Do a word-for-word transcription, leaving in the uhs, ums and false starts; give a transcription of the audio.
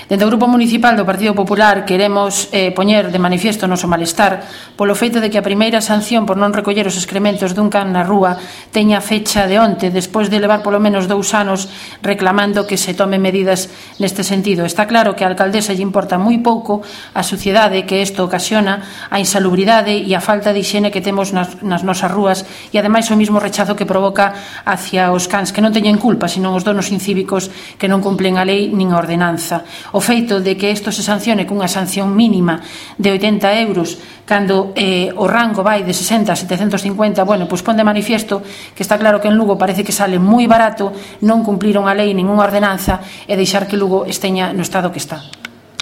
Dende o Grupo Municipal do Partido Popular queremos eh, poñer de manifiesto o noso malestar polo feito de que a primeira sanción por non recoller os excrementos dun can na rúa teña fecha de onte, despois de levar polo menos dous anos reclamando que se tomen medidas neste sentido. Está claro que a alcaldesa lle importa moi pouco a suciedade que isto ocasiona, a insalubridade e a falta de higiene que temos nas, nas nosas rúas e ademais o mismo rechazo que provoca hacia os cans que non teñen culpa, senón os donos incívicos que non cumplen a lei nin a ordenanza. O feito de que isto se sancione cunha sanción mínima de oitenta euros cando eh, o rango vai de sesenta a setecentos cincuenta, bueno, pois pon de manifiesto que está claro que en Lugo parece que sale moi barato non cumpliron a lei nin unha ordenanza e deixar que Lugo esteña no estado que está.